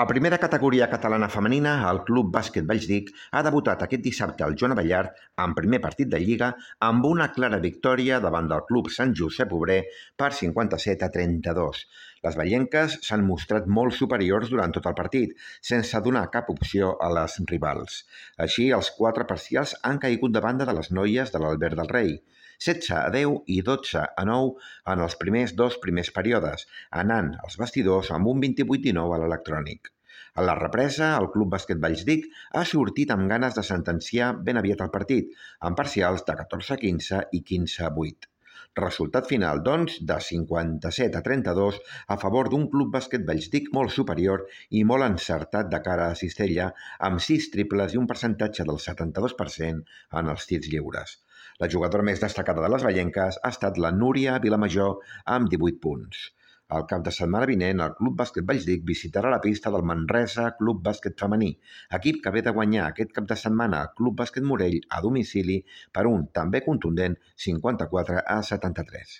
A primera categoria catalana femenina, el Club Bàsquet Vallsdic ha debutat aquest dissabte al Joan Abellart en primer partit de Lliga amb una clara victòria davant del Club Sant Josep Obrer per 57-32. Les vallenques s'han mostrat molt superiors durant tot el partit, sense donar cap opció a les rivals. Així, els 4 parcials han caigut de banda de les noies de l'Albert del Rei. 16-10 i 12-9 en els dos primers períodes, anant als vestidors amb un 28-19 a l'electrònic. A la represa, el Club Bàsquet Vallsdic ha sortit amb ganes de sentenciar ben aviat el partit, amb parcials de 14-15 i 15-8. Resultat final, doncs, de 57-32 a favor d'un Club Bàsquet Vallsdic molt superior i molt encertat de cara a cistella, amb 6 triples i un percentatge del 72% en els tirs lliures. La jugadora més destacada de les vallenques ha estat la Núria Vilamajor amb 18 punts. El cap de setmana vinent, el Club Bàsquet Vallsdic visitarà la pista del Manresa Club Bàsquet Femení, equip que ve de guanyar aquest cap de setmana el Club Bàsquet Morell a domicili per un també contundent 54-73.